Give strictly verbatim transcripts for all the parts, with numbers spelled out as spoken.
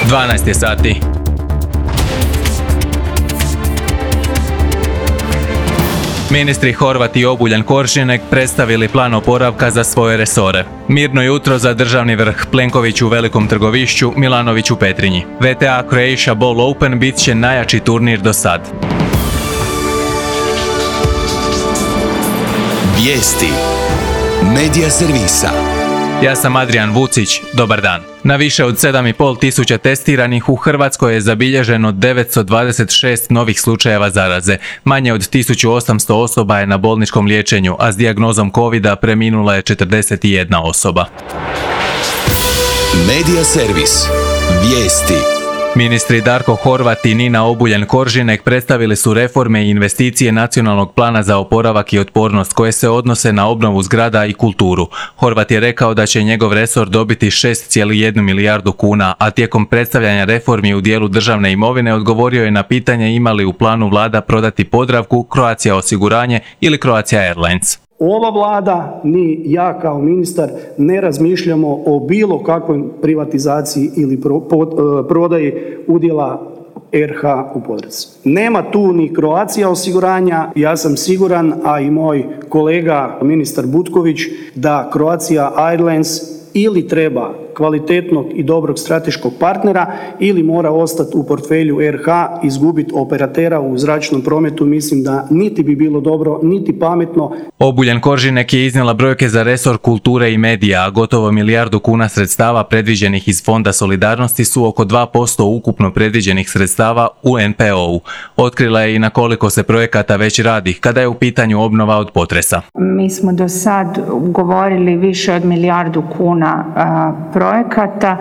dvanaest je sati. Ministri Horvat i Obuljen Koržinek predstavili plan oporavka za svoje resore. Mirno jutro za državni vrh, Plenković u Velikom Trgovišću, Milanović u Petrinji. V T A Croatia Bowl Open bit će najjači turnir do sad. Vijesti Medija servisa. Ja sam Adrian Vucić, dobar dan. Na više od sedam i pol tisuća testiranih u Hrvatskoj je zabilježeno devetsto dvadeset šest novih slučajeva zaraze. Manje od tisuću osamsto osoba je na bolničkom liječenju, a s dijagnozom kovida preminula je četrdeset jedna osoba. Medija servis. Vijesti. Ministri Darko Horvat i Nina Obuljen Koržinek predstavili su reforme i investicije Nacionalnog plana za oporavak i otpornost koje se odnose na obnovu zgrada i kulturu. Horvat je rekao da će njegov resor dobiti šest zarez jedna milijardu kuna, a tijekom predstavljanja reformi u dijelu državne imovine odgovorio je na pitanje ima li u planu vlada prodati Podravku, Croatia osiguranje ili Croatia Airlines. Ova vlada, ni ja kao ministar, ne razmišljamo o bilo kakvoj privatizaciji ili pro, pod, prodaji udjela R H u Podravci. Nema tu ni Croatia osiguranja, ja sam siguran, a i moj kolega ministar Butković, da Croatia Airlines ili treba kvalitetnog i dobrog strateškog partnera ili mora ostati u portfelju R H, izgubiti operatera u zračnom prometu, mislim da niti bi bilo dobro, niti pametno. Obuljen Koržinek je iznijela brojke za resor kulture i medija, a gotovo milijardu kuna sredstava predviđenih iz Fonda solidarnosti su oko dva posto ukupno predviđenih sredstava u N P O-u. Otkrila je i na koliko se projekata već radi kada je u pitanju obnova od potresa. Mi smo do sad ugovorili više od milijardu kuna a, projekata,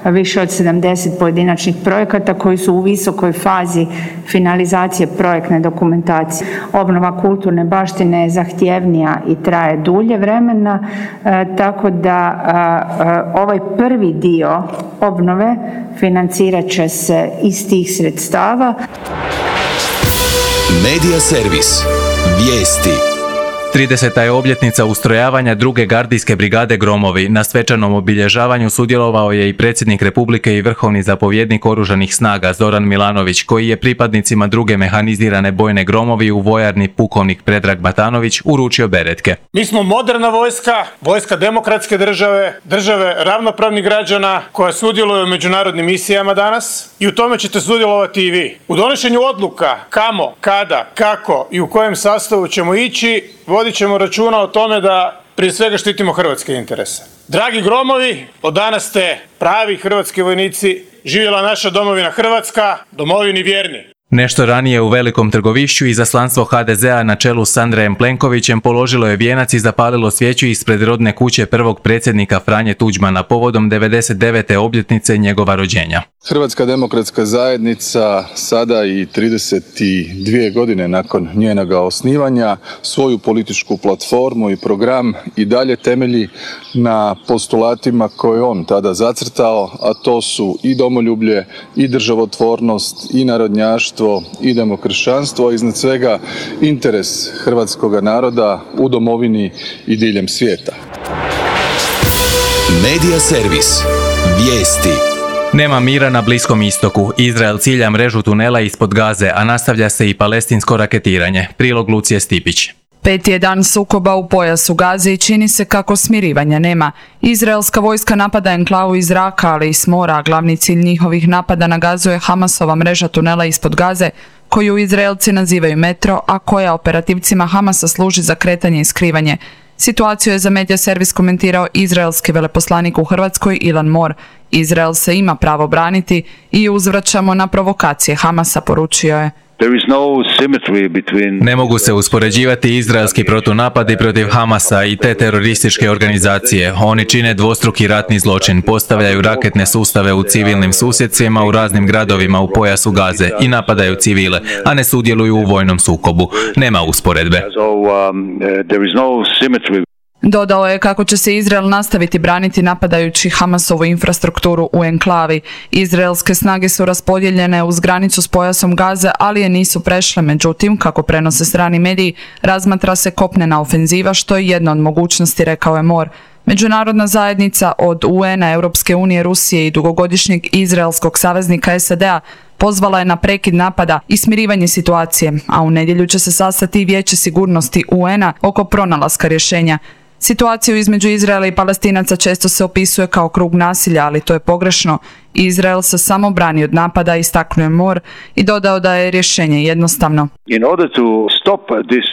više od sedamdeset pojedinačnih projekata koji su u visokoj fazi finalizacije projektne dokumentacije. Obnova kulturne baštine je zahtjevnija i traje dulje vremena, e, tako da e, ovaj prvi dio obnove financirat će se iz tih sredstava. Medija servis. Vijesti. trideseta je obljetnica ustrojavanja druge gardijske brigade Gromovi. Na svečanom obilježavanju sudjelovao je i predsjednik Republike i vrhovni zapovjednik Oružanih snaga Zoran Milanović, koji je pripadnicima druge mehanizirane bojne Gromovi u vojarni pukovnik Predrag Matanović uručio beretke. Mi smo moderna vojska, vojska demokratske države, države ravnopravnih građana koja sudjeluje u međunarodnim misijama danas i u tome ćete sudjelovati i vi. U donošenju odluka kamo, kada, kako i u kojem sastavu ćemo ići, vodit ćemo računa o tome da prije svega štitimo hrvatske interese. Dragi Gromovi, od danas ste pravi hrvatski vojnici, živjela naša domovina Hrvatska, domovini vjerni. Nešto ranije u Velikom Trgovišću izaslanstvo H D Z-a na čelu s Andrejem Plenkovićem položilo je vijenac i zapalilo svijeću ispred rodne kuće prvog predsjednika Franje Tuđmana povodom devedeset devete obljetnice njegova rođenja. Hrvatska demokratska zajednica sada i trideset dvije godine nakon njenoga osnivanja svoju političku platformu i program i dalje temelji na postulatima koje on tada zacrtao, a to su i domoljublje, i državotvornost, i narodnjaštvo, i demokršćanstvo, a iznad svega interes hrvatskoga naroda u domovini i diljem svijeta. Medija servis. Vijesti. Nema mira na Bliskom istoku. Izrael cilja mrežu tunela ispod Gaze, a nastavlja se i palestinsko raketiranje. Prilog Lucije Stipić. Peti je dan sukoba u pojasu Gaze i čini se kako smirivanja nema. Izraelska vojska napada enklavu iz zraka, ali i s mora. Glavni cilj njihovih napada na Gazu je Hamasova mreža tunela ispod Gaze, koju Izraelci nazivaju metro, a koja operativcima Hamasa služi za kretanje i skrivanje. Situaciju je za Medija servis komentirao izraelski veleposlanik u Hrvatskoj Ilan Mor. Izrael se ima pravo braniti i uzvraćamo na provokacije Hamasa, poručio je. Ne mogu se uspoređivati izraelski protunapadi protiv Hamasa i te terorističke organizacije. Oni čine dvostruki ratni zločin, postavljaju raketne sustave u civilnim susjedstvima u raznim gradovima u pojasu Gaze i napadaju civile, a ne sudjeluju u vojnom sukobu. Nema usporedbe. Dodao je kako će se Izrael nastaviti braniti napadajući Hamasovu infrastrukturu u enklavi. Izraelske snage su raspodijeljene uz granicu s pojasom Gaze, ali je nisu prešle. Međutim, kako prenose strani mediji, razmatra se kopnena ofenziva, što je jedna od mogućnosti, rekao je Mor. Međunarodna zajednica od U N-a, Europske unije, Rusije i dugogodišnjeg izraelskog saveznika S A D-a pozvala je na prekid napada i smirivanje situacije, a u nedjelju će se sastati i Vijeće sigurnosti U N-a oko pronalaska rješenja. Situaciju između Izraela i Palestinaca često se opisuje kao krug nasilja, ali to je pogrešno. Izrael se samo brani od napada, istaknuo je Mor i dodao da je rješenje jednostavno.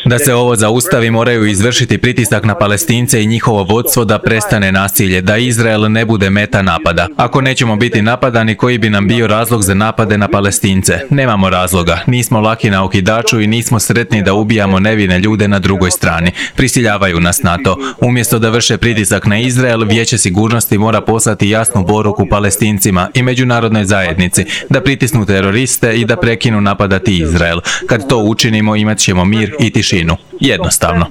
Da se ovo zaustavi, moraju izvršiti pritisak na Palestince i njihovo vodstvo da prestane nasilje, da Izrael ne bude meta napada. Ako nećemo biti napadani, koji bi nam bio razlog za napade na Palestince? Nemamo razloga. Nismo laki na okidaču i nismo sretni da ubijamo nevine ljude na drugoj strani. Prisiljavaju nas na to. Umjesto da vrše pritisak na Izrael, Vijeće sigurnosti mora poslati jasnu poruku Palestincima i međunarodnoj zajednici da pritisnu teroriste i da prekinu napadati Izrael. Kad to učinimo, imat ćemo mir i tišinu. Jednostavno.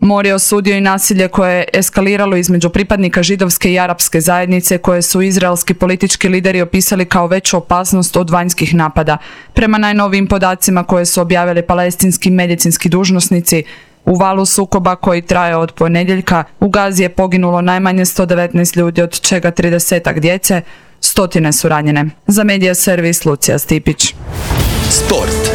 Mor je osudio i nasilje koje je eskaliralo između pripadnika židovske i arapske zajednice, koje su izraelski politički lideri opisali kao veću opasnost od vanjskih napada. Prema najnovijim podacima koje su objavili palestinski medicinski dužnosnici, u valu sukoba koji traje od ponedjeljka u Gazi je poginulo najmanje sto devetnaest ljudi, od čega tridesetak djece, stotine su ranjene. Za Medija servis Lucija Stipić. Sport.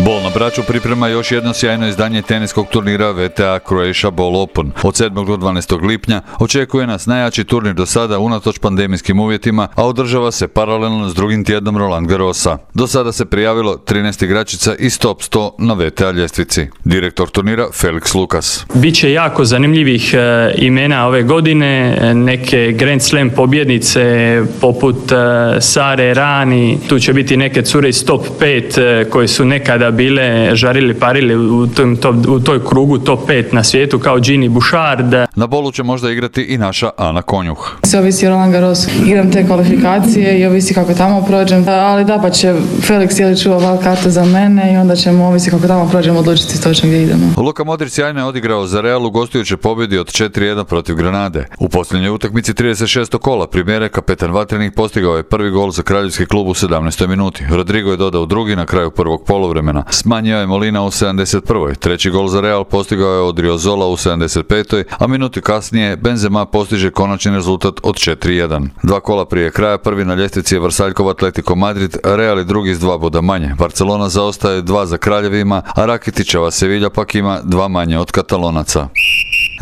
Bol na Braču priprema još jedno sjajno izdanje teniskog turnira V T A Croatia Ball Open. Od sedmog do dvanaestog lipnja očekuje nas najjači turnir do sada unatoč pandemijskim uvjetima, a održava se paralelno s drugim tjednom Roland Garrosa. Do sada se prijavilo trinaest igračica iz top sto na V T A ljestvici. Direktor turnira Felix Lukas. Biće jako zanimljivih e, imena ove godine, neke Grand Slam pobjednice poput e, Sare Rani, tu će biti neke cure iz top pet e, koje su nekada bile žarili parili u, tom, to, u toj krugu top pet na svijetu kao Gini Bouchard. Na bolu će možda igrati i naša Ana Konjuh. Sve ovisi o Roland Garros. Igram te kvalifikacije i ovisi kako tamo prođem, ali da pa će Felix je li čuva val kartu za mene i onda ćemo ovisi kako tamo prođemo odlučiti točno gdje idemo. Luka Modrić sjajno je odigrao za Real u gostujućoj pobjedi od četiri jedan protiv Granade. U posljednjoj utakmici trideset šestog kola Primjere kapetan Vatrenih postigao je prvi gol za kraljevski klub u sedamnaestoj minuti. Rodrigo je dodao drugi na kraju prvog poluvremena. Smanjio je Molina u sedamdeset prvoj Treći gol za Real postigao je Odriozola u sedamdeset petoj a minuti kasnije Benzema postiže konačni rezultat od četiri jedan. Dva kola prije kraja prvi na ljestvici je Vrsaljkov Atletico Madrid, Real i drugi s dva boda manje. Barcelona zaostaje dva za Kraljevima, a Rakitićeva Sevilla pak ima dva manje od Katalonaca.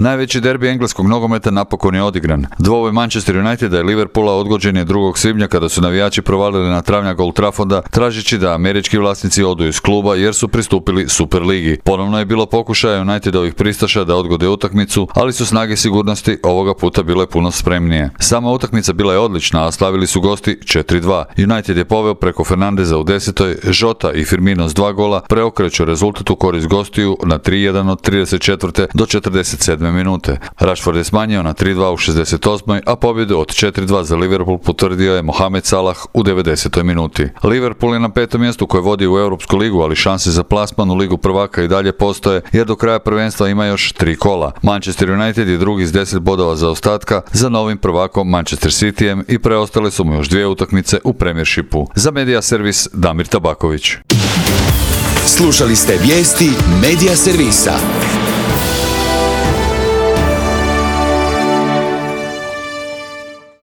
Najveći derbi engleskog nogometa napokon je odigran. Dvoboj Manchester Uniteda i Liverpoola odgođen je drugog svibnja kada su navijači provalili na travnjak Old Trafforda tražeći da američki vlasnici odu iz kluba jer su pristupili Superligi. Ponovno je bilo pokušaja Unitedovih pristaša da odgode utakmicu, ali su snage sigurnosti ovoga puta bile puno spremnije. Sama utakmica bila je odlična, a slavili su gosti četiri dva. United je poveo preko Fernandeza u desetoj, Jota i Firmino s dva gola preokreću rezultat u korist gostiju na tri jedan od trideset četvrte do četrdeset sedme minute. Rashford je smanjio na tri dva u šezdeset osmoj a pobjedu od četiri dva za Liverpool potvrdio je Mohamed Salah u devedesetoj minuti. Liverpool je na petom mjestu koje vodi u Europsku ligu, ali šanse za plasman u Ligu prvaka i dalje postoje jer do kraja prvenstva ima još tri kola. Manchester United je drugi s deset bodova zaostatka za novim prvakom Manchester Cityjem i preostale su mu još dvije utakmice u Premiershipu. Za Medija servis Damir Tabaković. Slušali ste vijesti Medija servisa.